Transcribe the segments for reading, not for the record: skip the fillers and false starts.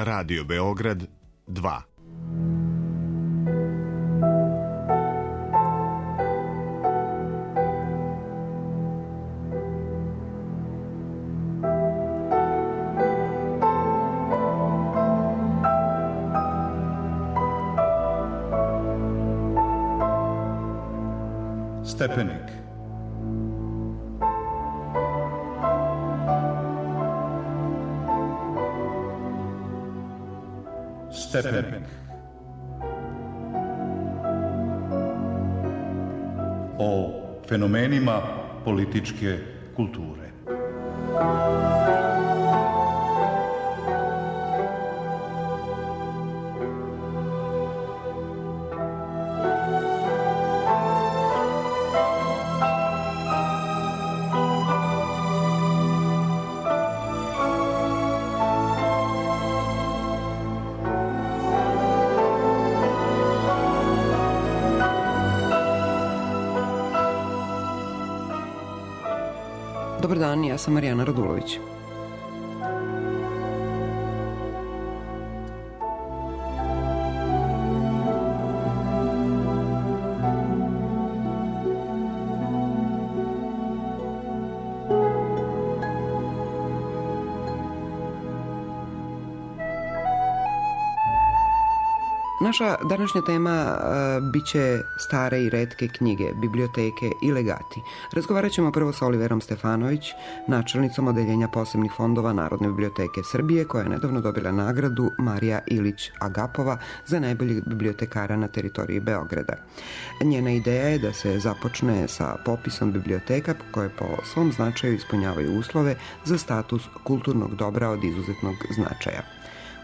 Radio Beograd 2. Stepenik. Stepenik. O fenomenima političke kulture. Dobar dan, ja sam Marijana Radulović. Naša današnja tema bit će stare i retke knjige, biblioteke i legati. Razgovarat ćemo prvo sa Oliverom Stefanović, načelnicom Odeljenja posebnih fondova Narodne biblioteke Srbije, koja je nedavno dobila nagradu Marija Ilić Agapova za najboljeg bibliotekara na teritoriji Beograda. Njena ideja je da se započne sa popisom biblioteka koje po svom značaju ispunjavaju uslove za status kulturnog dobra od izuzetnog značaja.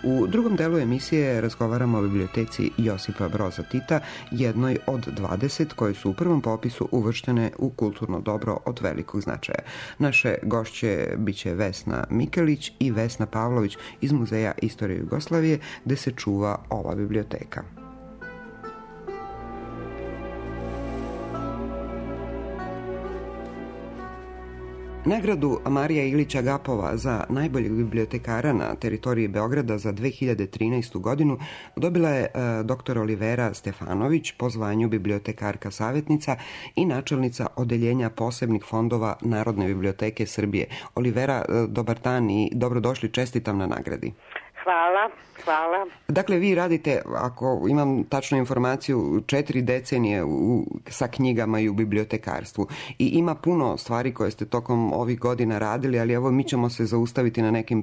U drugom delu emisije razgovaramo o biblioteci Josipa Broza Tita, jednoj od 20 koje su u prvom popisu uvrštene u kulturno dobro od velikog značaja. Naše gošće biće Vesna Mikelić i Vesna Pavlović iz Muzeja istorije Jugoslavije, gde se čuva ova biblioteka. Nagradu Marija Ilić Agapova za najboljeg bibliotekara na teritoriji Beograda za 2013. godinu dobila je dr. Olivera Stefanović po zvanju bibliotekarka savjetnica i načelnica Odeljenja posebnih fondova Narodne biblioteke Srbije. Olivera, dobar dan i dobrodošli, čestitam na nagradi. Hvala. Dakle, vi radite, ako imam tačnu informaciju, 4 decenije sa knjigama i u bibliotekarstvu. I ima puno stvari koje ste tokom ovih godina radili, ali evo mi ćemo se zaustaviti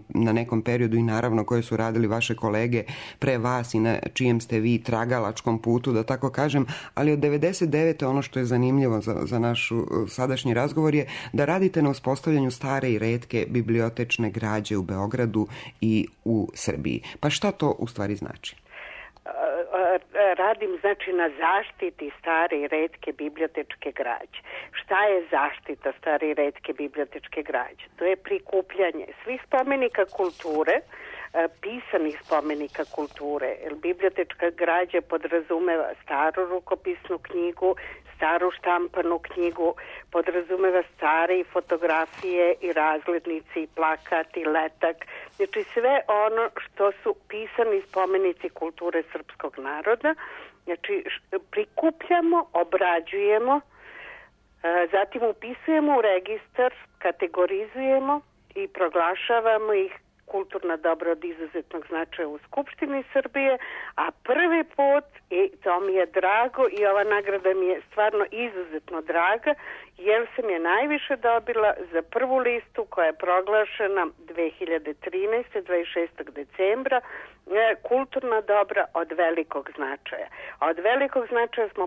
na nekom periodu i naravno koje su radili vaše kolege pre vas i na čijem ste vi tragalačkom putu, da tako kažem. Ali od 99. ono što je zanimljivo za naš sadašnji razgovor je da radite na uspostavljanju stare i retke bibliotečne građe u Beogradu i u Srbiji. Pa šta to u stvari znači? Radim znači na zaštiti stare i retke bibliotečke građe. Šta je zaštita stare i retke bibliotečke građe? To je prikupljanje svih spomenika kulture, pisanih spomenika kulture. Bibliotečka građa podrazumeva staru rukopisnu knjigu, staru štampanu knjigu, podrazumeva stare i fotografije i razglednici i plakat i letak. Znači sve ono što su pisani spomenici kulture srpskog naroda. Znači prikupljamo, obrađujemo, zatim upisujemo u registar, kategorizujemo i proglašavamo ih kulturna dobra od izuzetnog značaja u Skupštini Srbije, a prvi put, i to mi je drago i ova nagrada mi je stvarno izuzetno draga, jer sam je najviše dobila za prvu listu koja je proglašena 2013. 26. decembra, kulturna dobra od velikog značaja. A od velikog značaja smo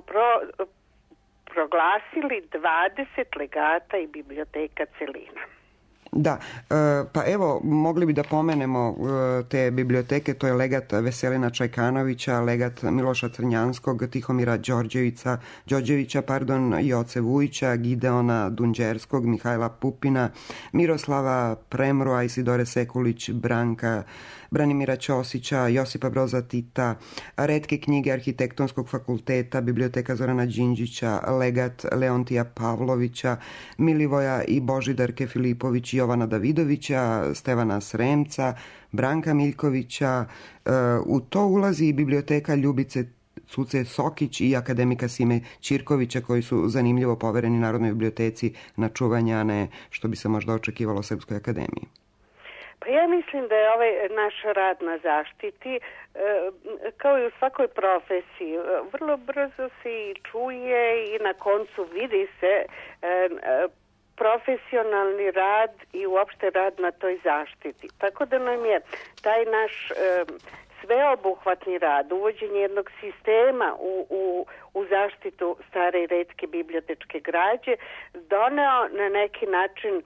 proglasili 20 legata i biblioteka celina. Da, pa evo, mogli bi da pomenemo te biblioteke, to je legat Veselina Čajkanovića, legat Miloša Crnjanskog, Tihomira Đorđevića, Joce Vujića, Gideona Dunđerskog, Mihajla Pupina, Miroslava Premroa, Isidore Sekulić, Branimira Ćosića, Josipa Broza Tita, retke knjige Arhitektonskog fakulteta, biblioteka Zorana Đinđića, legat Leontija Pavlovića, Milivoja i Božidarke Filipović, Jovana Davidovića, Stevana Sremca, Branka Miljkovića. U to ulazi i biblioteka Ljubice Cuce Sokić i akademika Sime Ćirkovića, koji su zanimljivo povereni Narodnoj biblioteci na čuvanje, a ne što bi se možda očekivalo Srpskoj akademiji. Pa ja mislim da je ovaj naš rad na zaštiti, kao i u svakoj profesiji, vrlo brzo se i čuje i na koncu vidi se profesionalni rad i uopšte rad na toj zaštiti. Tako da nam je taj naš sveobuhvatni rad, uvođenje jednog sistema u zaštitu stare i retke bibliotečke građe doneo na neki način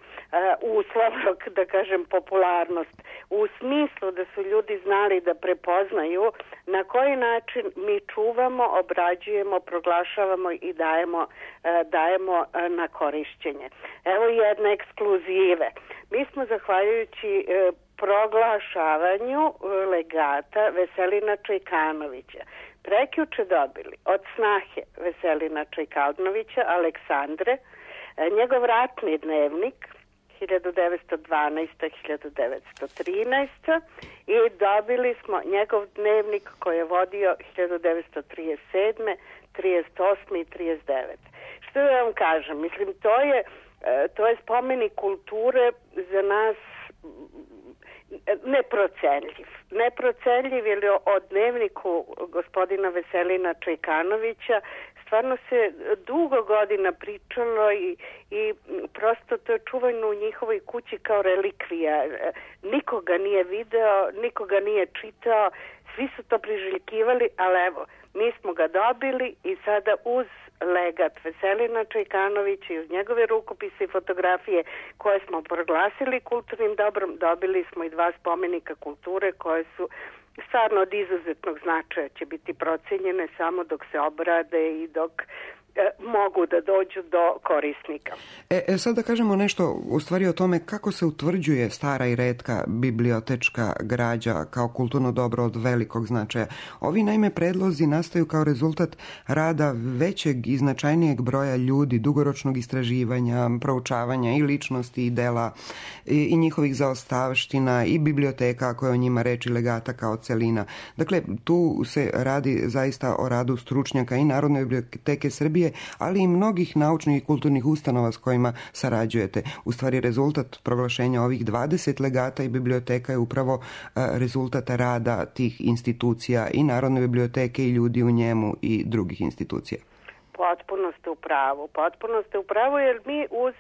uslovno, da kažem, popularnost, u smislu da su ljudi znali da prepoznaju na koji način mi čuvamo, obrađujemo, proglašavamo i dajemo na korišćenje. Evo jedne ekskluzive. Mi smo, zahvaljujući proglašavanju legata Veselina Čajkanovića prekjuče dobili od snahe Veselina Čajkanovića, Aleksandre, njegov ratni dnevnik 1912-1913 i dobili smo njegov dnevnik koji je vodio 1937, 38 i 39. Što da vam kažem? Mislim, to je spomenik kulture za nas neprocenljiv, jer o dnevniku gospodina Veselina Čajkanovića stvarno se dugo godina pričalo i prosto to je čuvano u njihovoj kući kao relikvija. Nikoga nije video, nikoga nije čitao, svi su to priželjkivali, ali evo, mi smo ga dobili i sada uz legat Veselina Čajkanovića i uz njegove rukopise i fotografije koje smo proglasili kulturnim dobrom, dobili smo i 2 spomenika kulture koje su stvarno od izuzetnog značaja, će biti procenjene samo dok se obrade i dok mogu da dođu do korisnika. Sad da kažemo nešto u stvari o tome kako se utvrđuje stara i retka bibliotečka građa kao kulturno dobro od velikog značaja. Ovi naime predlozi nastaju kao rezultat rada većeg i značajnijeg broja ljudi, dugoročnog istraživanja, proučavanja i ličnosti i dela i njihovih zaostavština i biblioteka, ako je o njima reč, i legata kao celina. Dakle, tu se radi zaista o radu stručnjaka i Narodne biblioteke Srbije, ali i mnogih naučnih i kulturnih ustanova s kojima sarađujete. U stvari, rezultat proglašenja ovih 20 legata i biblioteka je upravo rezultat rada tih institucija i Narodne biblioteke i ljudi u njemu i drugih institucija. Potpuno ste u pravu, jer mi uz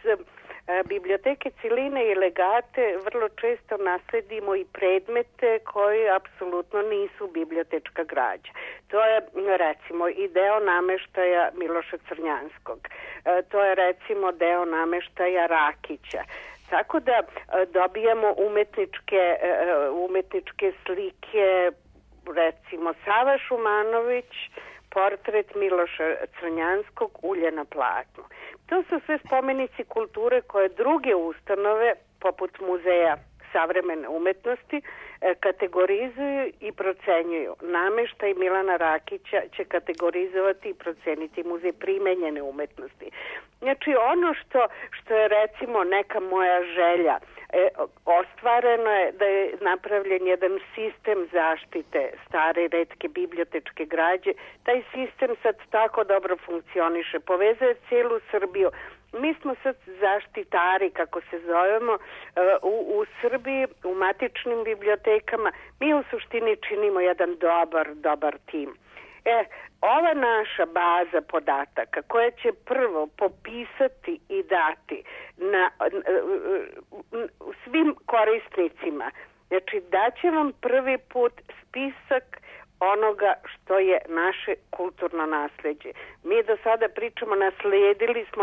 biblioteke celine i legate vrlo često nasledimo i predmete koji apsolutno nisu bibliotečka građa. To je recimo i deo nameštaja Miloša Crnjanskog. To je recimo deo nameštaja Rakića. Tako da dobijamo umetničke slike, recimo Sava Šumanović, portret Miloša Crnjanskog, ulje na platnu. To su sve spomenici kulture koje druge ustanove, poput Muzeja savremene umetnosti, kategorizuju i procenjuju. Nameštaj Milana Rakića će kategorizovati i proceniti Muzej primenjene umetnosti. Znači, ono što je recimo neka moja želja, ostvareno je da je napravljen jedan sistem zaštite stare i retke bibliotečke građe. Taj sistem sad tako dobro funkcioniše, povezuje cijelu Srbiju. Mi smo sad zaštitari, kako se zovemo, u Srbiji, u matičnim bibliotekama. Mi u suštini činimo jedan dobar tim. Ova naša baza podataka koja će prvo popisati i dati svim korisnicima, znači daće vam prvi put spisak onoga što je naše kulturno nasleđe. Mi do sada pričamo,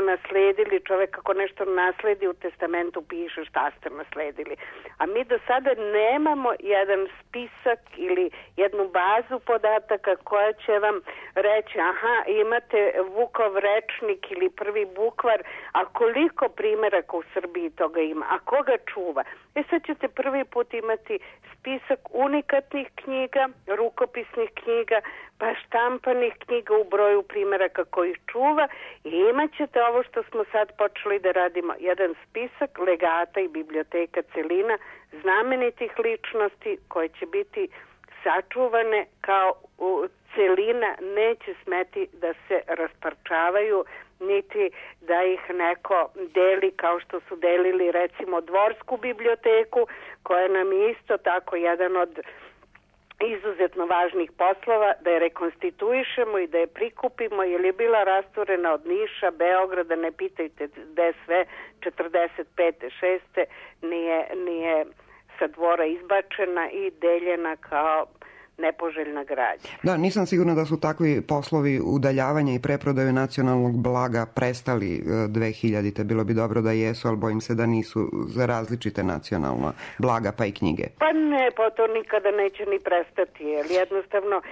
nasledili, čovjek kako nešto nasledi u testamentu piše šta ste nasledili. A mi do sada nemamo jedan spisak ili jednu bazu podataka koja će vam reći, imate Vukov rečnik ili prvi bukvar, a koliko primjeraka u Srbiji toga ima, a koga čuva? Sad ćete prvi put imati spisak unikatnih knjiga, rukopisa rukopisnih knjiga, pa štampanih knjiga u broju primjeraka koji čuva i imat ćete ovo što smo sad počeli da radimo, jedan spisak legata i biblioteka celina znamenitih ličnosti koje će biti sačuvane kao celina, neće smeti da se rasparčavaju, niti da ih neko deli kao što su delili recimo Dvorsku biblioteku, koja nam je isto tako jedan od izuzetno važnih poslova, da je rekonstituišemo i da je prikupimo, jer je bila rasturena od Niša, Beograda, ne pitajte gde sve, 45. 6. nije sa dvora izbačena i deljena kao nepoželjna građa. Da, nisam sigurna da su takvi poslovi udaljavanja i preprodaju nacionalnog blaga prestali 2000-te. Bilo bi dobro da jesu, ali bojim se da nisu za različite nacionalna blaga pa i knjige. Pa ne, pa to nikada neće ni prestati, jer jednostavno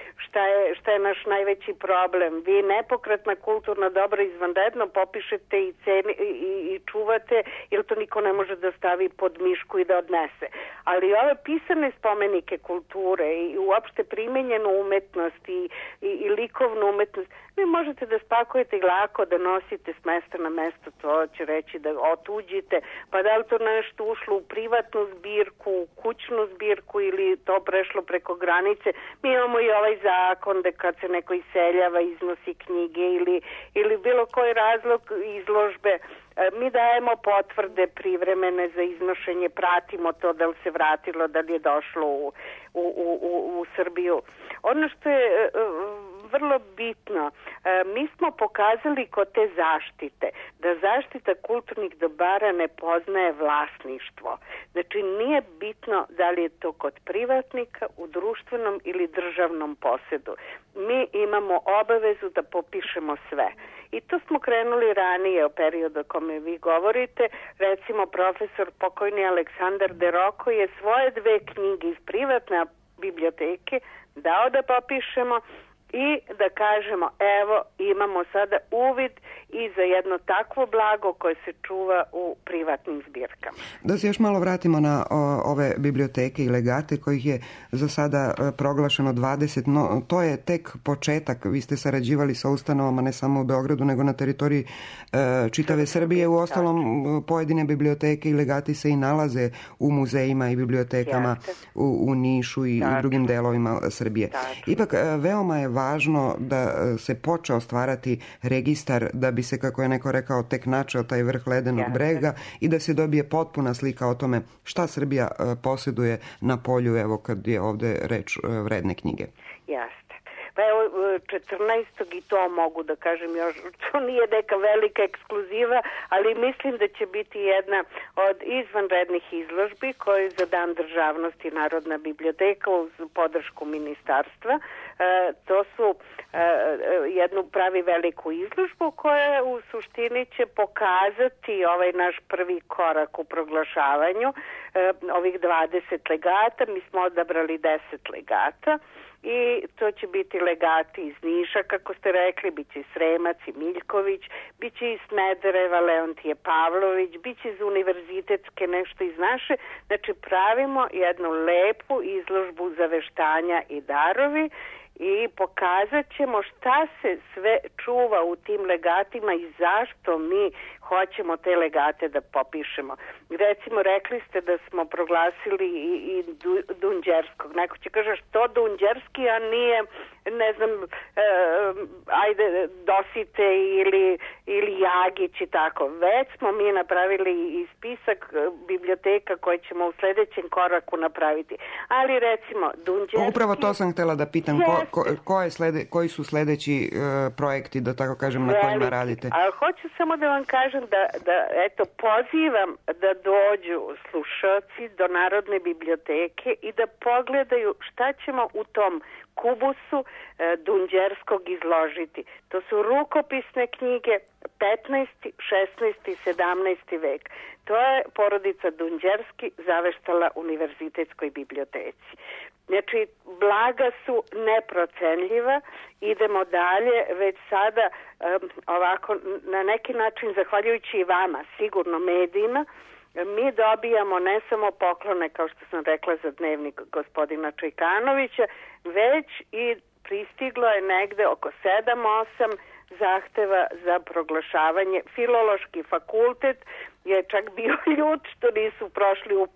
šta je naš najveći problem? Vi nepokretna kulturna dobra izvanredno popišete i čuvate, jer to niko ne može da stavi pod mišku i da odnese. Ali ove pisane spomenike kulture i uopšte primenjenu umetnost i likovnu umetnost, vi možete da spakujete i lako da nosite s mesta na mesto, to će reći da otuđite, pa da li to nešto ušlo u privatnu zbirku, u kućnu zbirku ili to prešlo preko granice. Mi imamo i ovaj zakon da kad se neko iseljava iznosi knjige ili bilo koji razlog izložbe, mi dajemo potvrde privremene za iznošenje, pratimo to da li se vratilo, da li je došlo u Srbiju. Ono što je vrlo bitno, mi smo pokazali kod te zaštite da zaštita kulturnih dobara ne poznaje vlasništvo. Znači nije bitno da li je to kod privatnika, u društvenom ili državnom posedu. Mi imamo obavezu da popišemo sve. I to smo krenuli ranije u periodu o kome vi govorite. Recimo profesor pokojni Aleksandar Deroko je svoje 2 knjige iz privatne biblioteke dao da popišemo i da kažemo evo imamo sada uvid i za jedno takvo blago koje se čuva u privatnim zbirkama. Da se još malo vratimo na ove biblioteke i legate kojih je za sada proglašeno 20, no to je tek početak. Vi ste sarađivali sa ustanovama ne samo u Beogradu nego na teritoriji čitave Srbije. U ostalom pojedine biblioteke i legati se i nalaze u muzejima i bibliotekama u Nišu i u drugim delovima Srbije. Ipak veoma je važno da se počeo stvarati registar da bi se, kako je neko rekao, tek načeo taj vrh ledenog brega i da se dobije potpuna slika o tome šta Srbija posjeduje na polju, evo kad je ovde reč vredne knjige. Jasne. Pa evo 14. i to mogu da kažem još, to nije neka velika ekskluziva, ali mislim da će biti jedna od izvanrednih izložbi koju za Dan državnosti Narodna biblioteka uz podršku ministarstva. To su jednu pravi veliku izložbu koja u suštini će pokazati ovaj naš prvi korak u proglašavanju ovih 20 legata. Mi smo odabrali 10 legata. I to će biti legati iz Niša, kako ste rekli, bit će i Sremac i Miljković, bit će iz Smedereva Leontije Pavlović, bit će iz univerzitetske nešto iz naše. Znači pravimo jednu lepu izložbu zaveštanja i darovi i pokazat ćemo šta se sve čuva u tim legatima i zašto mi hoćemo te legate da popišemo. Recimo, rekli ste da smo proglasili i Dunđerskog. Neko će kaže što Dunđerski, a nije, ne znam, ajde, Dosite ili Jagić i tako. Već smo mi napravili i spisak biblioteka koje ćemo u sledećem koraku napraviti. Ali recimo, Dunđerski... Upravo to sam htjela da pitam. Koji su sledeći projekti, da tako kažem, na kojima radite? A hoću samo da vam kažem da eto, pozivam da dođu slušaoci do Narodne biblioteke i da pogledaju šta ćemo u tom kubusu Dunđerskog izložiti. To su rukopisne knjige 15., 16. i 17. vek. To je porodica Dunđerski zaveštala Univerzitetskoj biblioteci. Znači, blaga su neprocenljiva, idemo dalje, već sada ovako, na neki način, zahvaljujući i vama, sigurno medijima, mi dobijamo ne samo poklone, kao što sam rekla za dnevnik gospodina Čajkanovića, već i pristiglo je negde oko 7-8 zahteva za proglašavanje. Filološki fakultet je čak bio ljut što nisu prošli u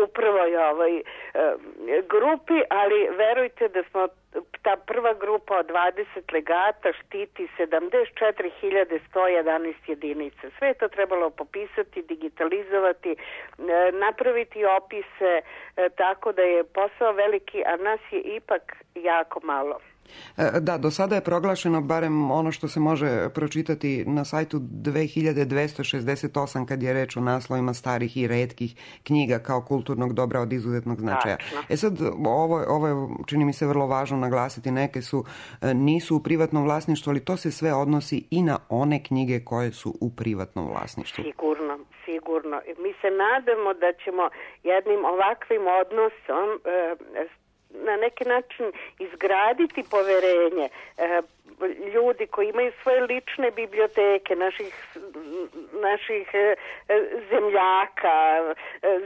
prvoj grupi, ali verujte da smo ta prva grupa od 20 legata štiti 74.111 jedinica. Sve je to trebalo popisati, digitalizovati, napraviti opise, tako da je posao veliki, a nas je ipak jako malo. Da, do sada je proglašeno, barem ono što se može pročitati na sajtu, 2268 kad je reč o naslovima starih i retkih knjiga kao kulturnog dobra od izuzetnog značaja. Sad, ovo je, čini mi se, vrlo važno naglasiti, neke nisu u privatnom vlasništvu, ali to se sve odnosi i na one knjige koje su u privatnom vlasništvu. Sigurno. Mi se nadamo da ćemo jednim ovakvim odnosom na neki način izgraditi poverenje ljudi koji imaju svoje lične biblioteke, naših zemljaka,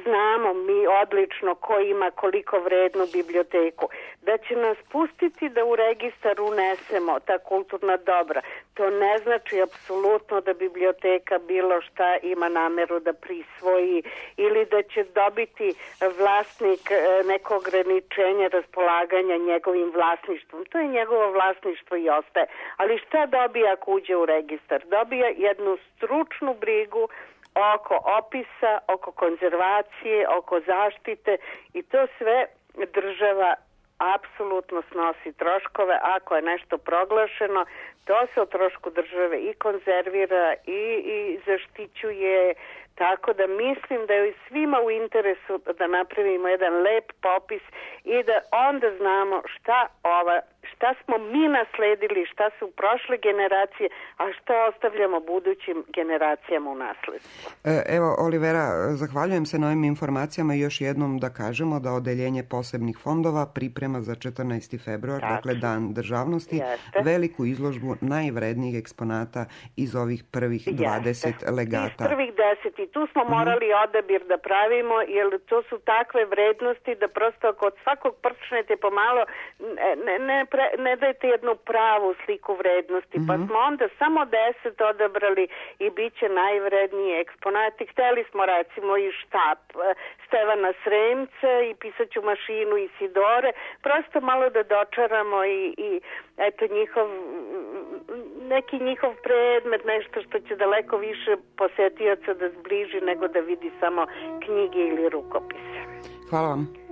znamo mi odlično ko ima koliko vrednu biblioteku, da će nas pustiti da u registar unesemo ta kulturna dobra. To ne znači apsolutno da biblioteka bilo šta ima nameru da prisvoji ili da će dobiti vlasnik neko ograničenje raspolaganja njegovim vlasništvom. To je njegovo vlasništvo i ostaje. Ali šta dobija ako uđe u registar? Dobija jednu stručnu brigu oko opisa, oko konzervacije, oko zaštite i to sve država apsolutno snosi troškove. Ako je nešto proglašeno, to se o trošku države i konzervira i zaštićuje. Tako da mislim da je svima u interesu da napravimo jedan lep popis i da onda znamo šta smo mi nasledili, šta su prošle generacije, a šta ostavljamo budućim generacijama u nasledstvo. Evo, Olivera, zahvaljujem se na ovim informacijama i još jednom da kažemo da Odeljenje posebnih fondova priprema za 14. februar, dakle Dan državnosti, veliku izložbu najvrednijih eksponata iz ovih prvih 20 legata. Iz prvih 10 i tu smo morali odabir da pravimo, jer to su takve vrednosti da prosto kod svakog prčnete pomalo ne dajete jednu pravu sliku vrednosti, pa smo onda samo 10 odabrali i bit će najvredniji eksponati. Hteli smo recimo i štap Stevana Sremca i pisaću mašinu Isidore, prosto malo da dočaramo i eto neki njihov predmet, nešto što će daleko više posetioca da zbliži nego da vidi samo knjige ili rukopise. Hvala vam.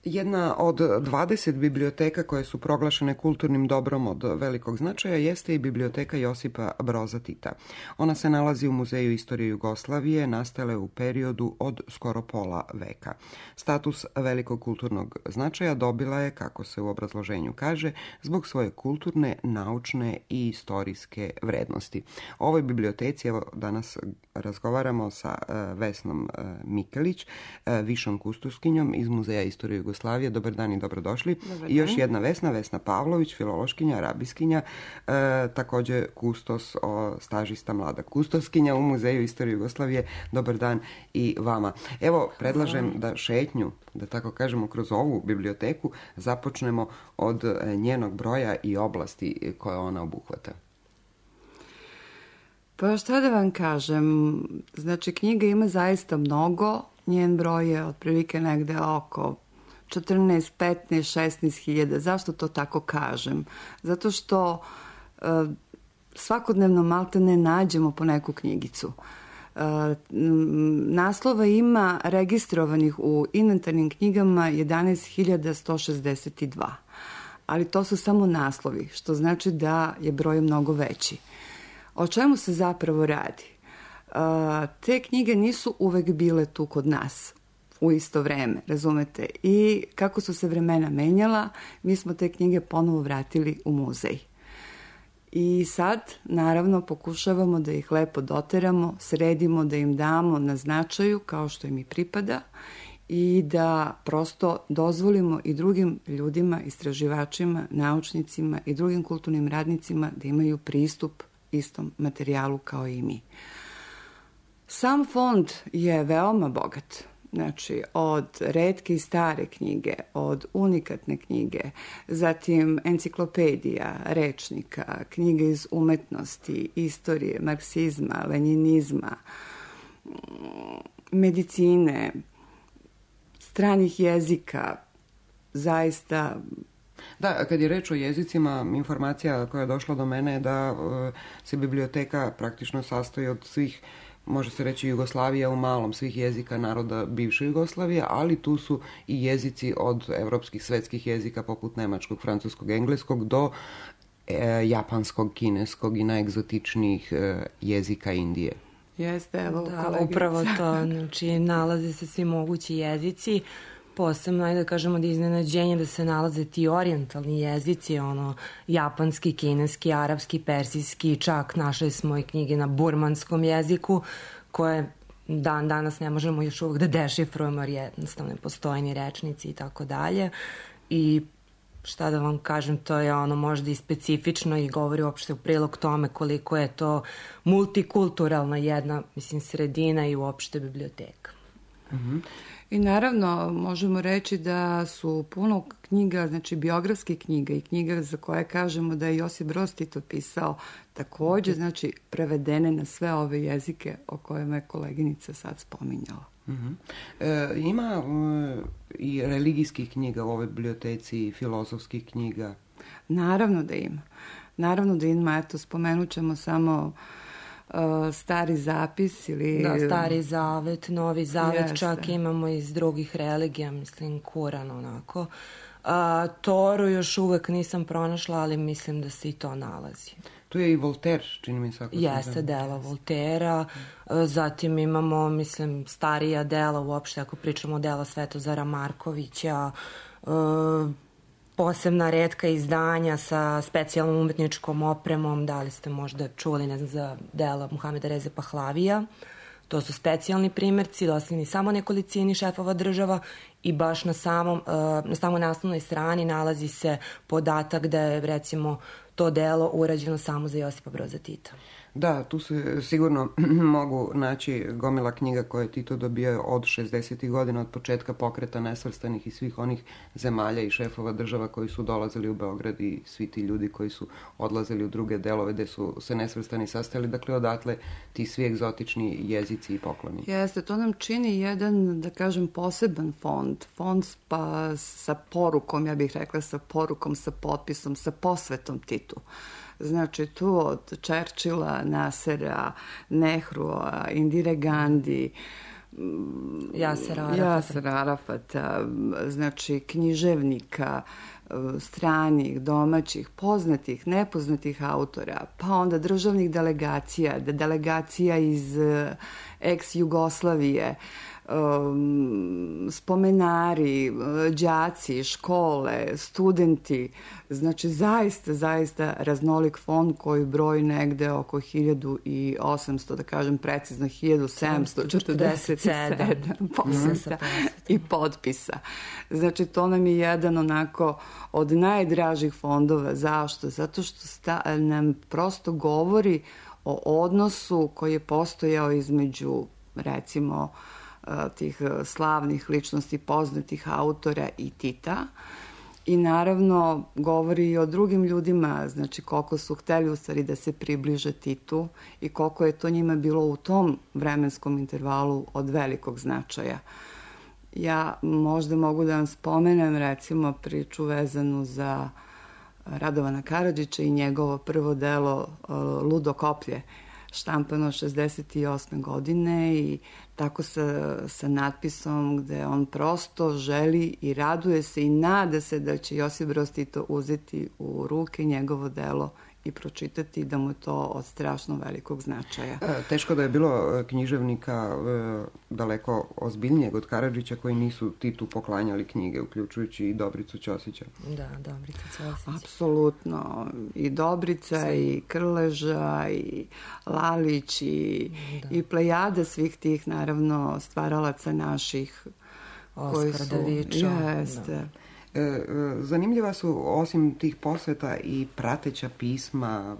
Jedna od 20 biblioteka koje su proglašene kulturnim dobrom od velikog značaja jeste i biblioteka Josipa Broza Tita. Ona se nalazi u Muzeju istorije Jugoslavije, nastale u periodu od skoro pola veka. Status velikog kulturnog značaja dobila je, kako se u obrazloženju kaže, zbog svoje kulturne, naučne i istorijske vrednosti. O ovoj biblioteci evo danas razgovaramo sa Vesnom Mikelić, višom kustoskinjom iz Muzeja istorije Jugoslavije. Dobar dan i dobrodošli. Dobar I još dan. jedna Vesna Pavlović, filološkinja, arabiskinja, također kustos, stažista, mlada kustoskinja u Muzeju istorije Jugoslavije. Dobar dan i vama. Evo, predlažem da šetnju, da tako kažemo, kroz ovu biblioteku započnemo od njenog broja i oblasti koje ona obuhvata. Pa šta da vam kažem, znači knjiga ima zaista mnogo, njen broj je otprilike negde oko 14, 15, 16 hiljada. Zašto to tako kažem? Zato što svakodnevno malte ne nađemo po neku knjigicu. Naslova ima registrovanih u inventarnim knjigama 11.162. Ali to su samo naslovi, što znači da je broj mnogo veći. O čemu se zapravo radi? Te knjige nisu uvek bile tu kod nas u isto vreme, razumete? I kako su se vremena menjala, mi smo te knjige ponovo vratili u muzej. I sad, naravno, pokušavamo da ih lepo doteramo, sredimo, da im damo na značaju kao što im i pripada i da prosto dozvolimo i drugim ljudima, istraživačima, naučnicima i drugim kulturnim radnicima da imaju pristup istom materijalu kao i mi. Sam fond je veoma bogat. Znači, od retke i stare knjige, od unikatne knjige, zatim enciklopedija, rečnika, knjige iz umetnosti, istorije, marksizma, lenjinizma, medicine, stranih jezika, zaista... Da, kad je reč o jezicima, informacija koja je došla do mene je da se biblioteka praktično sastoji od svih, može se reći Jugoslavija u malom, svih jezika naroda bivše Jugoslavije, ali tu su i jezici od evropskih svetskih jezika poput nemačkog, francuskog, engleskog do japanskog, kineskog i najegzotičnijih jezika Indije. Jeste, evo, da, upravo to, znači nalaze se svi mogući jezici, posebno, ajde da kažemo da je iznenađenje da se nalaze ti orijentalni jezici, japanski, kineski, arapski, persijski, čak našli smo i knjige na burmanskom jeziku, koje danas ne možemo još uvijek da dešifrujemo, jer jednostavno ne postoje ni rečnici i tako dalje. I šta da vam kažem, to je možda i specifično i govori uopšte u prilog tome koliko je to multikulturalna jedna, sredina i uopšte biblioteka. Mhm. I naravno, možemo reći da su puno knjiga, znači biografskih knjiga i knjiga za koje kažemo da je Josip Broz Tito pisao, takođe, znači, prevedene na sve ove jezike o kojima je koleginica sad spominjala. Ima i religijskih knjiga u ovoj biblioteci, filozofskih knjiga? Naravno da ima. Naravno da ima, eto, spomenut ćemo samo Stari zapis ili... Da, Stari zavet, Novi zavet, čak imamo iz drugih religija, Kuran, onako. Toru još uvek nisam pronašla, ali mislim da se i to nalazi. Tu je i Voltaire, čini mi se. Jeste, dela Voltera, zatim imamo, starija dela uopšte, ako pričamo o dela Svetozara Markovića, posebna retka izdanja sa specijalnom umetničkom opremom, da li ste možda čuli, ne znam, za dela Muhameda Reze Pahlavija. To su specijalni primjerci, dostavljeni samo nekolicini šefova država i baš na samoj naslovnoj strani nalazi se podatak da je, recimo, to delo urađeno samo za Josipa Broza Tita. Da, tu se sigurno mogu naći gomila knjiga koje je Tito dobio od 60. godina, od početka pokreta nesvrstanih i svih onih zemalja i šefova država koji su dolazili u Beograd i svi ti ljudi koji su odlazili u druge delove gde su se nesvrstani sastajali. Dakle, odatle ti svi egzotični jezici i pokloni. Jeste, to nam čini jedan, da kažem, poseban fond. Fond pa sa porukom, ja bih rekla sa porukom, sa potpisom, sa posvetom Titu. Znači, tu od Churchilla, Nasera, Nehrua, Indire Gandhi, Jasera Arafata, znači književnika, stranih, domaćih, poznatih, nepoznatih autora, pa onda državnih delegacija, delegacija iz ex-Jugoslavije, spomenari, đaci, škole, studenti, znači zaista raznolik fond koji broji negde oko 1800, da kažem precizno 1747 posjeta i potpisa. Znači to nam je jedan onako od najdražih fondova. Zašto? Zato što nam prosto govori o odnosu koji je postojao između, recimo, tih slavnih ličnosti, poznatih autora i Tita. I naravno govori i o drugim ljudima, znači koliko su hteli u stvari da se približe Titu i koliko je to njima bilo u tom vremenskom intervalu od velikog značaja. Ja možda mogu da vam spomenem recimo priču vezanu za Radovana Karadžića i njegovo prvo delo Ludo koplje, štampano 68. godine i tako sa natpisom gde on prosto želi i raduje se i nada se da će Josip Broz Tito uzeti u ruke njegovo delo i pročitati, da mu je to od strašno velikog značaja. Teško da je bilo književnika daleko ozbiljnijeg od Karadžića koji nisu Titu poklanjali knjige, uključujući i Dobricu Ćosića. Da, Dobrica Ćosić. Apsolutno. I Dobrica, i Krleža, i Lalić, i plejada svih tih, naravno, stvaralaca naših. Oskar Davičo. Jeste. Zanimljiva su, osim tih posveta, i prateća pisma,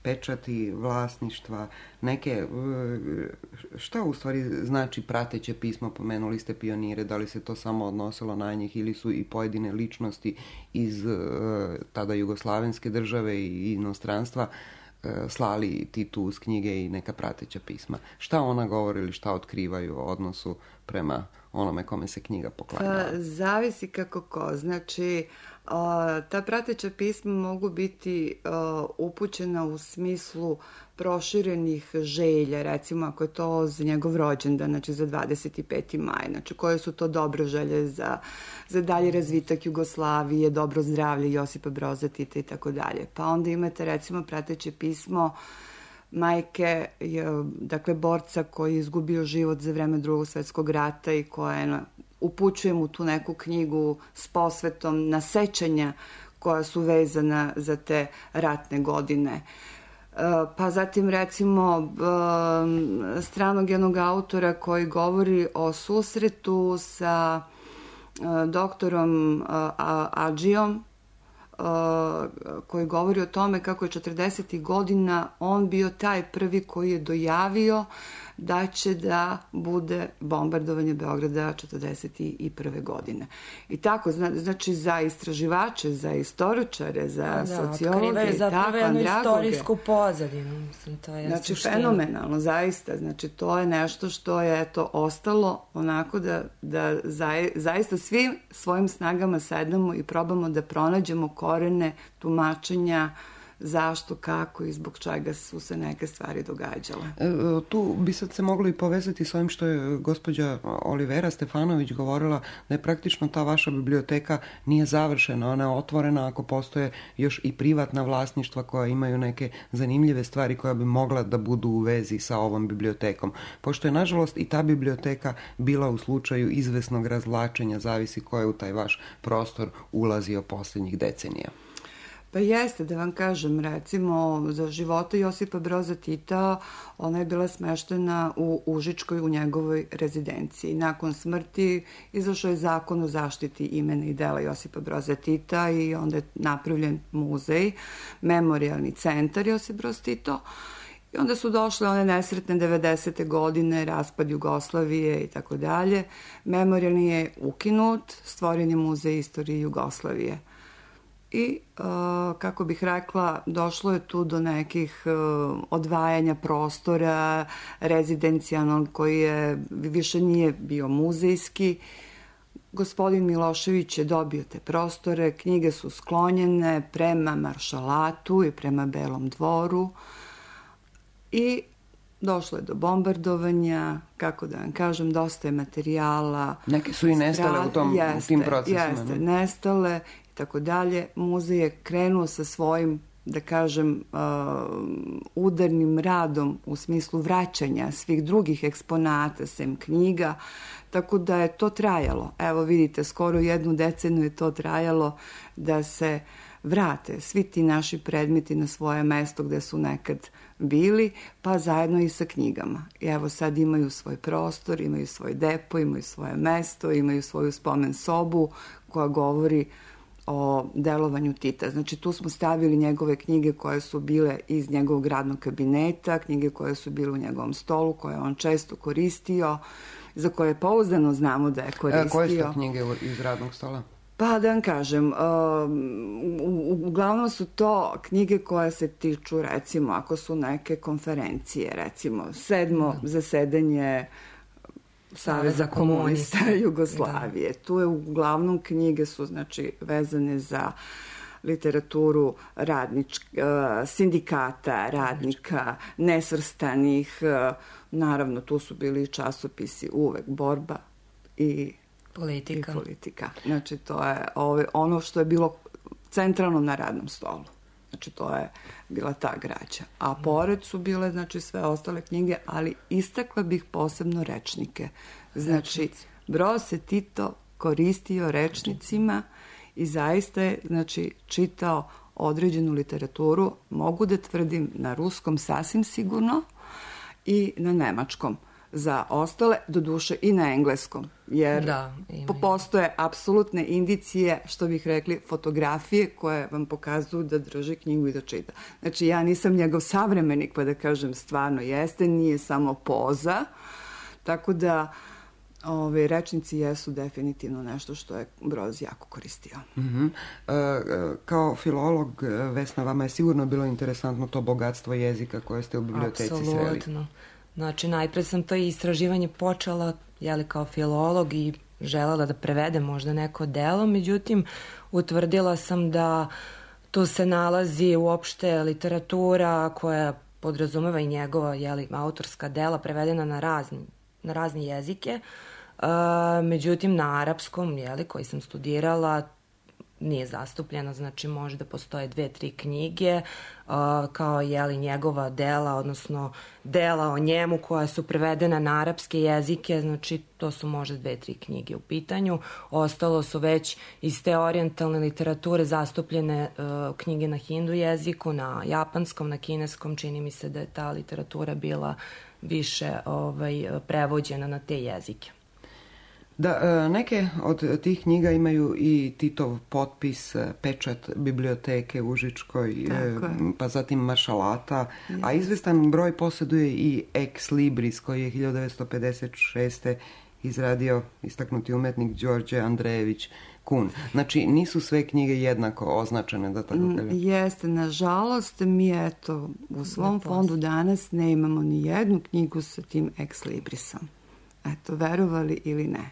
pečati vlasništva, neke, šta u stvari znači prateće pismo? Pomenuli ste pionire, da li se to samo odnosilo na njih ili su i pojedine ličnosti iz tada jugoslavenske države i inostranstva slali Titu uz knjige i neka prateća pisma? Šta ona govori ili šta otkrivaju o odnosu prema onome kome se knjiga poklanjala? Pa, zavisi kako ko. Znači, ta prateća pisma mogu biti upućena u smislu proširenih želja, recimo ako je to za njegov rođendan, znači za 25. maj, znači koje su to dobre želje za dalje razvitak Jugoslavije, dobro zdravlje Josipa Broza Tita i tako dalje. Pa onda imate recimo prateće pismo majke, dakle borca koji je izgubio život za vreme Drugog svjetskog rata i koja upućuje mu tu neku knjigu s posvetom na sećanja koja su vezana za te ratne godine. Pa zatim recimo stranog jednog autora koji govori o susretu sa doktorom Adžijom, koji govori o tome kako je 40. godina on bio taj prvi koji je dojavio da će da bude bombardovanje Beograda 41. godine. I tako, znači za istraživače, za istoričare, za sociologe, i tako, jednu istorijsku pozadinu. Mislim, to je znači, fenomenalno, zaista. Znači, to je nešto što je ostalo onako da zaista svim svojim snagama sedamo i probamo da pronađemo korene tumačenja zašto, kako i zbog čega su se neke stvari događale. Tu bi sad se moglo i povezati s ovim što je gospođa Olivera Stefanović govorila, da je praktično ta vaša biblioteka nije završena, ona je otvorena ako postoje još i privatna vlasništva koja imaju neke zanimljive stvari koja bi mogla da budu u vezi sa ovom bibliotekom. Pošto je nažalost i ta biblioteka bila u slučaju izvesnog razvlačenja, zavisi ko je u taj vaš prostor ulazio posljednjih decenija. Pa jeste, da vam kažem, recimo, za života Josipa Broza Tita, ona je bila smeštena u Užičkoj, u njegovoj rezidenciji. Nakon smrti izašao je zakon o zaštiti imena i dela Josipa Broza Tita i onda je napravljen muzej, memorijalni centar Josip Broz Tito. I onda su došle one nesretne 90. godine, raspad Jugoslavije i tako dalje. Memorijalni je ukinut, stvoren je muzej istorije Jugoslavije. I, kako bih rekla, došlo je tu do nekih odvajanja prostora rezidencijalnog koji je više nije bio muzejski. Gospodin Milošević je dobio te prostore, knjige su sklonjene prema Maršalatu i prema Belom dvoru i došlo je do bombardovanja, kako da vam kažem, dosta je materijala. Neke su i nestale u tim procesima. Jeste, nestale i tako dalje. Muzej je krenuo sa svojim, da kažem, udarnim radom u smislu vraćanja svih drugih eksponata, sem knjiga, tako da je to trajalo. Evo vidite, skoro 1 deceniju je to trajalo da se vrate svi ti naši predmeti na svoje mesto gde su nekad bili, pa zajedno i sa knjigama. I evo sad imaju svoj prostor, imaju svoj depo, imaju svoje mesto, imaju svoju spomen sobu koja govori o delovanju Tita. Znači tu smo stavili njegove knjige koje su bile iz njegovog radnog kabineta, knjige koje su bile u njegovom stolu, koje on često koristio, za koje pouzdano znamo da je koristio. Koje su knjige iz radnog stola? Pa da vam kažem, uglavnom su to knjige koje se tiču, recimo, ako su neke konferencije, recimo 7. zasedanje Saveza komunista Jugoslavije. Tu je uglavnom knjige su, znači, vezane za literaturu sindikata, radnika, nesvrstanih. Naravno, tu su bili časopisi uvek borba i politika. Znači, to je ono što je bilo centralno na radnom stolu. Znači, to je bila ta građa. A pored su bile, znači, sve ostale knjige, ali istakla bih posebno rečnike. Znači, Broz se Tito koristio rečnicima i zaista je, znači, čitao određenu literaturu, mogu da tvrdim, na ruskom sasvim sigurno i na nemačkom. Za ostale, doduše i na engleskom, jer postoje apsolutne indicije, što bih rekli, fotografije koje vam pokazuju da drži knjigu i da čita. Znači, ja nisam njegov savremenik, pa da kažem stvarno jeste, nije samo poza, tako da rečnici jesu definitivno nešto što je Broz jako koristio. Kao filolog, Vesna, vama je sigurno bilo interesantno to bogatstvo jezika koje ste u biblioteci sreli. Apsolutno. Znači, najpre sam to istraživanje počela, kao filolog i želela da prevedem možda neko delo, međutim, utvrdila sam da tu se nalazi uopšte literatura koja podrazumeva i njegova autorska dela prevedena na razne jezike. Međutim, na arapskom, koji sam studirala, nije zastupljeno, znači možda postoje 2-3 knjige kao njegova dela, odnosno dela o njemu koja su prevedena na arapske jezike, znači to su možda 2-3 knjige u pitanju. Ostalo su već iz te orijentalne literature zastupljene knjige na hindu jeziku, na japanskom, na kineskom, čini mi se da je ta literatura bila više prevođena na te jezike. Da, neke od tih knjiga imaju i Titov potpis, pečat biblioteke u Užičkoj, pa zatim maršalata, a izvestan broj posjeduje i Ex Libris koji je 1956. izradio istaknuti umetnik Đorđe Andrejević Kun. Znači, nisu sve knjige jednako označene, da tako kažem. Jeste, nažalost, mi u svom fondu danas ne imamo ni jednu knjigu sa tim Ex Librisom. Verovali ili ne.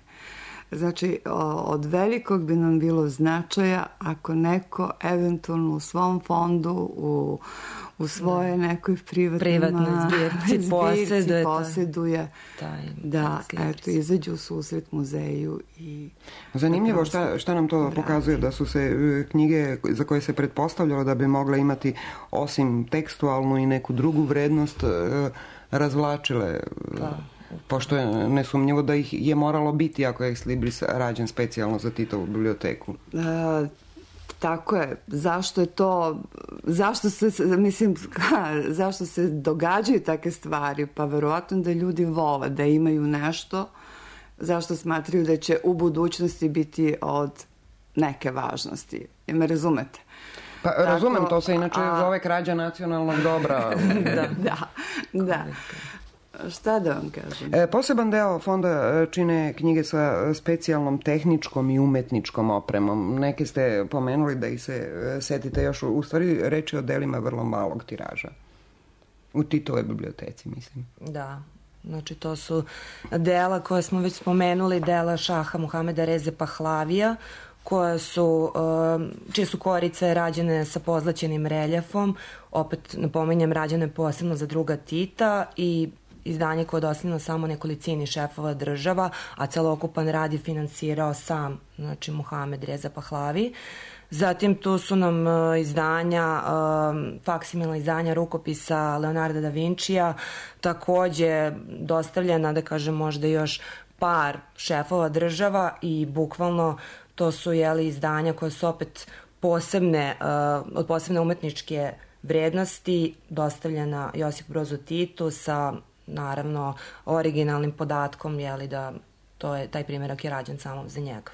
Znači, od velikog bi nam bilo značaja ako neko eventualno u svom fondu, u svoje nekoj privatnoj zbirci posjeduje da izađu u susret muzeju. Zanimljivo šta nam to pokazuje, da su se knjige za koje se pretpostavljalo da bi mogle imati osim tekstualnu i neku drugu vrednost razvlačile. Pošto je nesumnjivo da ih je moralo biti ako je Ex Libris rađen specijalno za Titovu biblioteku. Tako je. Zašto se događaju takve stvari? Pa verovatno da ljudi vole da imaju nešto zašto smatraju da će u budućnosti biti od neke važnosti. Me razumete? Pa razumem, to se inače zove krađa nacionalnog dobra. Da. Šta da vam kažem? Poseban deo fonda čine knjige sa specijalnom tehničkom i umetničkom opremom. Neke ste pomenuli da ih se setite još. U stvari reč je o delima vrlo malog tiraža. U Titovoj biblioteci, mislim. Da. Znači, to su dela koje smo već spomenuli, dela šaha Muhameda Reze Pahlavija, čije su korice rađene sa pozlaćenim reljefom. Opet, napominjem, rađene posebno za druga Tita i izdanje koje je dostavljeno samo nekolicini šefova država, a celokupan rad je finansirao sam, znači, Muhamed Reza Pahlavi. Zatim tu su nam izdanja, faksimilna izdanja rukopisa Leonarda da Vincija, takođe dostavljena, da kažem, možda još par šefova država i bukvalno to su izdanja koje su opet od posebne umetničke vrednosti, dostavljena Josipu Brozu Titu sa, naravno, originalnim podatkom, da taj primjerak je rađen samo za njega.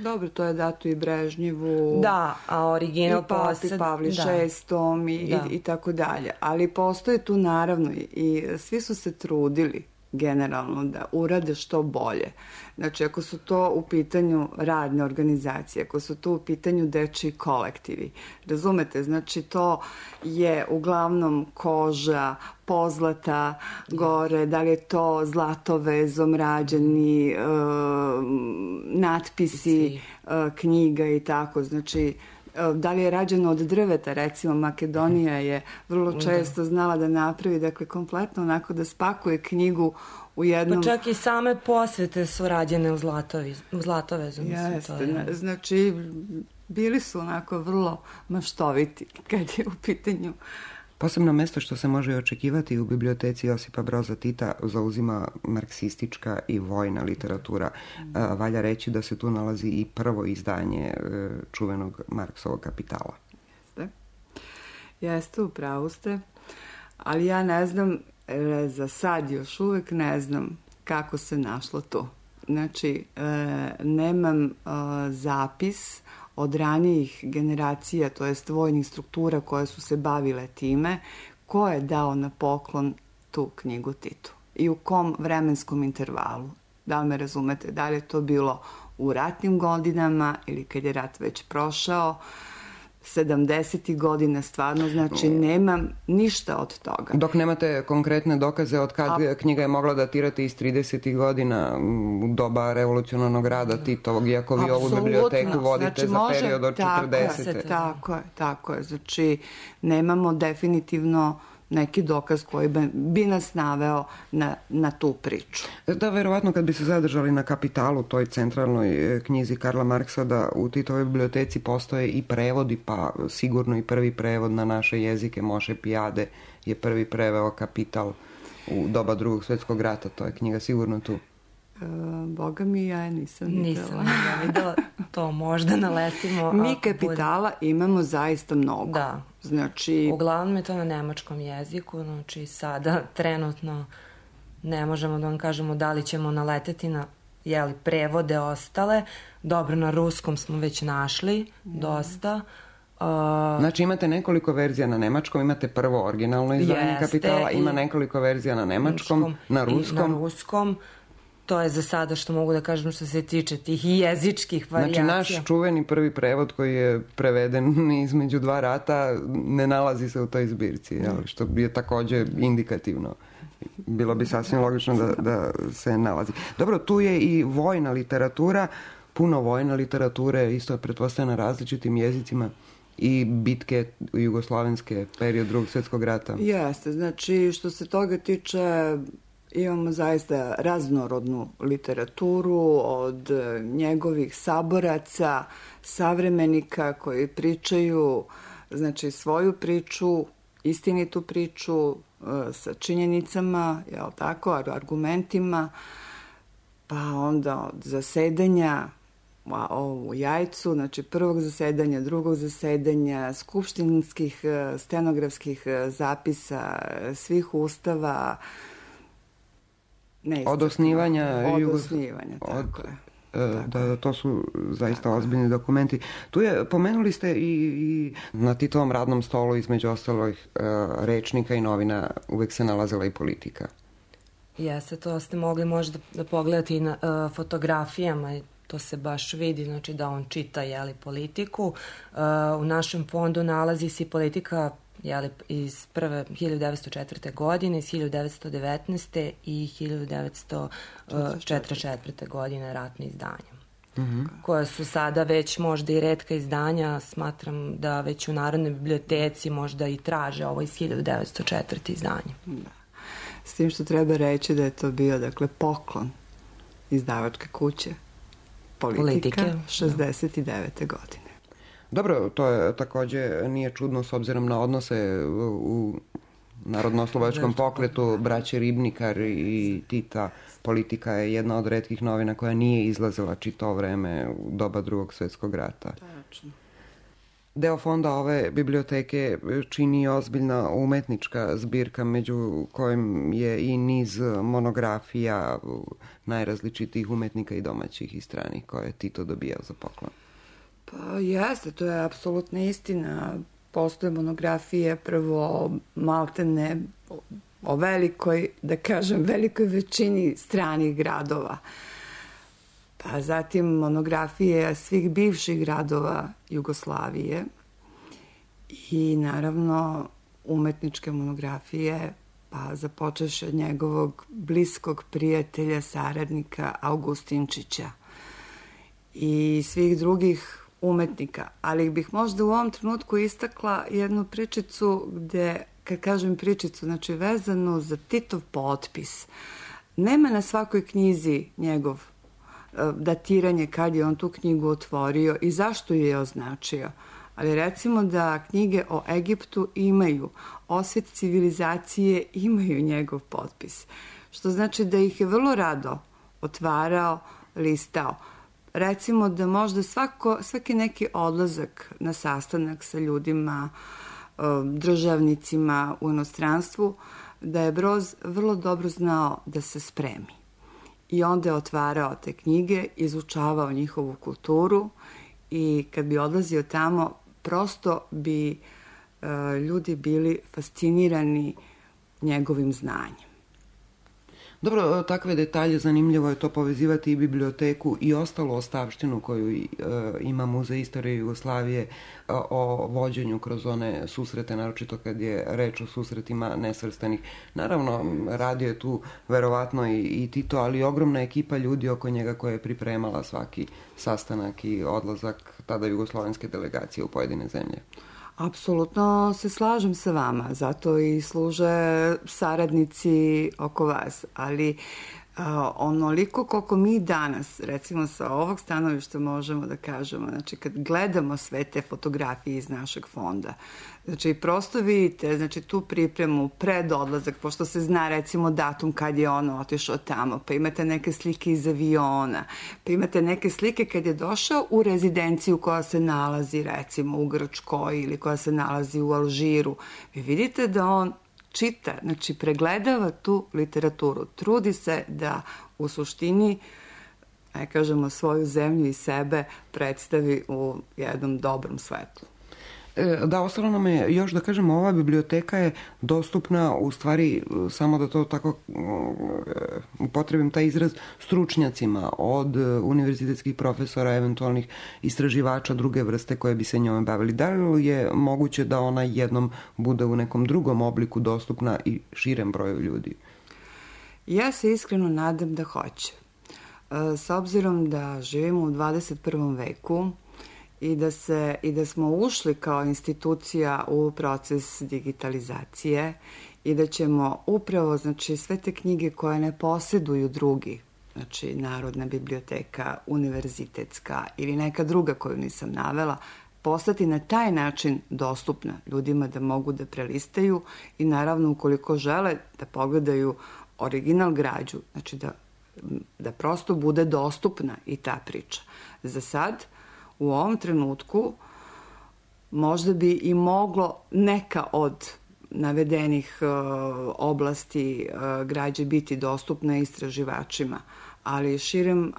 Dobro, to je dato i Brežnjevu. Da, a original i Papi Pavli VI i tako dalje. Ali postoje tu, naravno, i svi su se trudili generalno da urade što bolje. Znači, ako su to u pitanju radne organizacije, ako su to u pitanju dečiji kolektivi, razumete, znači to je uglavnom koža, pozlata gore, da li je to zlatovezom rađeni natpisi knjiga i tako, znači da li je rađeno od drveta, recimo Makedonija je vrlo često znala da napravi, dakle, kompletno onako da spakuje knjigu u jednom... Pa čak i same posvete su rađene u zlatovezu. Jeste, znači Bili su onako vrlo maštoviti kad je u pitanju. Posebno mesto što se može očekivati u biblioteci Josipa Broza Tita zauzima marksistička i vojna literatura. Valja reći da se tu nalazi i prvo izdanje čuvenog Marksovog Kapitala. Jeste, u pravu ste, ali ja ne znam, za sad još uvek ne znam kako se našlo to. Znači, nemam zapis od ranijih generacija, to jest vojnih struktura koje su se bavile time, ko je dao na poklon tu knjigu Titu i u kom vremenskom intervalu. Da li me razumete? Da li je to bilo u ratnim godinama ili kad je rat već prošao, 70. godina, stvarno, znači nemam ništa od toga. Dok nemate konkretne dokaze od kad knjiga je mogla datirati iz 30. godina u doba revolucionarnog rada Titovog, iako vi ovu biblioteku vodite za period od 40. Tako je. Znači, nemamo definitivno neki dokaz koji bi nas naveo na tu priču. Da, verovatno kad bi se zadržali na Kapitalu, toj centralnoj knjizi Karla Marksa, da u Titovoj biblioteci postoje i prevodi, pa sigurno i prvi prevod na naše jezike. Moše Pijade je prvi preveo Kapital u doba Drugog svjetskog rata. To je knjiga sigurno tu. Boga mi, ja je nisam videla. To možda naletimo. Mi Kapitala imamo zaista mnogo. Da. Znači, uglavnom je to na nemačkom jeziku, znači sada trenutno ne možemo da vam kažemo da li ćemo naleteti na prevode ostale. Dobro, na ruskom smo već našli dosta. Znači imate nekoliko verzija na nemačkom, imate prvo originalno izdanje Kapitala, ima nekoliko verzija na nemačkom, na ruskom. To je za sada što mogu da kažem što se tiče tih jezičkih varijacija. Znači, naš čuveni prvi prevod koji je preveden između dva rata ne nalazi se u toj zbirci, što je takođe indikativno. Bilo bi sasvim logično da se nalazi. Dobro, tu je i vojna literatura, puno vojne literature, isto je pretpostavljena na različitim jezicima, i bitke jugoslavenske, period Drugog svjetskog rata. Jeste, znači što se toga tiče, imamo zaista raznorodnu literaturu od njegovih saboraca, savremenika koji pričaju, znači, svoju priču, istinitu priču sa činjenicama, jel tako, argumentima, pa onda od zasedanja u Jajcu, znači prvog zasedanja, drugog zasedanja, skupštinskih stenografskih zapisa, svih ustava, od osnivanja, tako je. Da, to su zaista ozbiljni dokumenti. Tu je, pomenuli ste i na Titovom radnom stolu između ostalih rečnika i novina uvek se nalazila i politika. Jeste, to ste mogli možda da pogledate i na fotografijama, to se baš vidi, znači da on čita politiku. U našem fondu nalazi se politika iz prve 1904. godine, iz 1919. i 1944. godine ratne izdanja. Koja su sada već možda i retka izdanja, smatram da već u Narodnoj biblioteci možda i traže ovo iz 1904. izdanje. Da. S tim što treba reći da je to bio, dakle, poklon izdavačke kuće Politika 69. godine. Dobro, to je takođe nije čudno s obzirom na odnose u narodno-oslobodačkom pokretu, braće Ribnikar i Tita. Politika je jedna od retkih novina koja nije izlazila čito vreme u doba Drugog svjetskog rata. Tačno. Deo fonda ove biblioteke čini ozbiljna umetnička zbirka, među kojim je i niz monografija najrazličitijih umetnika i domaćih i stranih koje je Tito dobijao za poklon. Pa jeste, to je apsolutna istina. Postoje monografije prvo maltene o velikoj, da kažem, velikoj većini stranih gradova. Pa zatim monografije svih bivših gradova Jugoslavije i naravno umetničke monografije, pa započevši od njegovog bliskog prijatelja, saradnika Augustinčića i svih drugih umetnika. Ali bih možda u ovom trenutku istakla jednu pričicu gde, kad kažem pričicu, znači vezano za Titov potpis. Nema na svakoj knjizi njegov datiranje kad je on tu knjigu otvorio i zašto ju je označio. Ali recimo da knjige o Egiptu imaju, Osvet civilizacije imaju njegov potpis. Što znači da ih je vrlo rado otvarao, listao. Recimo da možda svaki neki odlazak na sastanak sa ljudima, državnicima u inostranstvu, da je Broz vrlo dobro znao da se spremi. I onda je otvarao te knjige, izučavao njihovu kulturu i kad bi odlazio tamo, prosto bi ljudi bili fascinirani njegovim znanjem. Dobro, takve detalje, zanimljivo je to povezivati i biblioteku i ostalu ostavštinu koju ima Muzej istorije Jugoslavije o vođenju kroz one susrete, naročito kad je reč o susretima nesvrstanih. Naravno, radio je tu verovatno i Tito, ali ogromna ekipa ljudi oko njega koja je pripremala svaki sastanak i odlazak tada jugoslovenske delegacije u pojedine zemlje. Apsolutno se slažem sa vama, zato i služe saradnici oko vas, ali onoliko koliko mi danas, recimo sa ovog stanovišta možemo da kažemo, znači kad gledamo sve te fotografije iz našeg fonda, znači prosto vidite, znači tu pripremu pred odlazak, pošto se zna recimo datum kad je on otišao tamo, pa imate neke slike iz aviona, pa imate neke slike kad je došao u rezidenciju koja se nalazi recimo u Grčkoj ili koja se nalazi u Alžiru. Vi vidite da on čita, znači pregledava tu literaturu, trudi se da u suštini, kažemo, svoju zemlju i sebe predstavi u jednom dobrom svetlu. Da, ostalo nam je još da kažemo, ova biblioteka je dostupna, u stvari, samo da to tako upotrebim taj izraz, stručnjacima, od univerzitetskih profesora, eventualnih istraživača druge vrste koje bi se njome bavili. Da li je moguće da ona jednom bude u nekom drugom obliku dostupna i širem broju ljudi? Ja se iskreno nadam da hoće. S obzirom da živimo u 21. veku, i da smo ušli kao institucija u proces digitalizacije i da ćemo upravo, znači, sve te knjige koje ne posjeduju drugi, znači Narodna biblioteka, univerzitetska ili neka druga koju nisam navela, postati na taj način dostupna ljudima da mogu da prelistaju i naravno ukoliko žele da pogledaju original građu, znači da prosto bude dostupna i ta priča. Za sad, u ovom trenutku možda bi i moglo neka od navedenih oblasti građe biti dostupna istraživačima, ali širem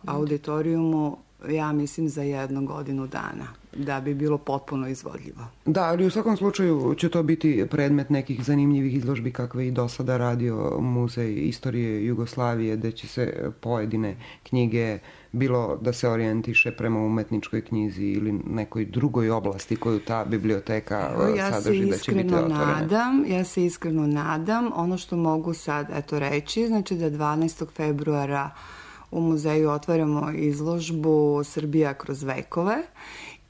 auditorijumu ja mislim za 1 godinu dana da bi bilo potpuno izvodljivo. Da, ali u svakom slučaju će to biti predmet nekih zanimljivih izložbi kakve i do sada radio Muzej istorije Jugoslavije, gde će se pojedine knjige, bilo da se orijentiše prema umetničkoj knjizi ili nekoj drugoj oblasti koju ta biblioteka sadrži, da će biti otvorene. Ja se iskreno nadam. Ono što mogu sad reći, znači da 12. februara u muzeju otvaramo izložbu Srbija kroz vekove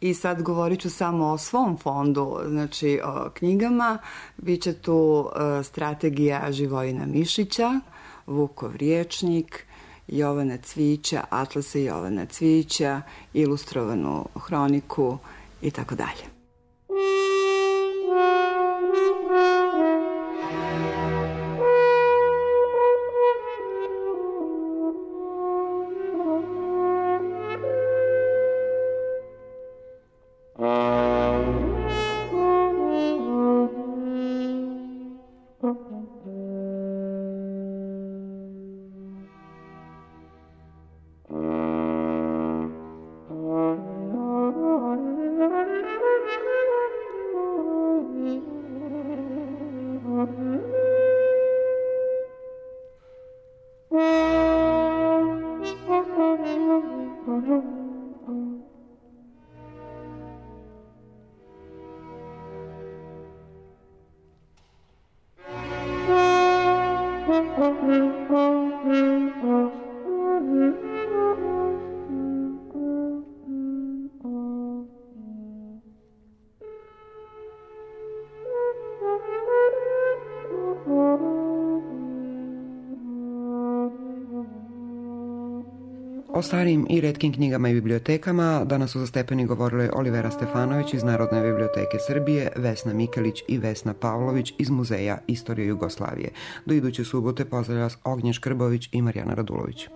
i sad govorit ću samo o svom fondu, znači o knjigama. Biće tu Strategija Živojina Mišića, Vukov rječnik, Jovana Cvića, Atlase Jovana Cvića, ilustrovanu hroniku i tako dalje. O starijim i retkim knjigama i bibliotekama danas su za stepeni govorile Olivera Stefanović iz Narodne biblioteke Srbije, Vesna Mikelić i Vesna Pavlović iz Muzeja Istorije Jugoslavije. Do iduće subote pozdravlja vas Ognjen Škrbović i Marijana Radulović.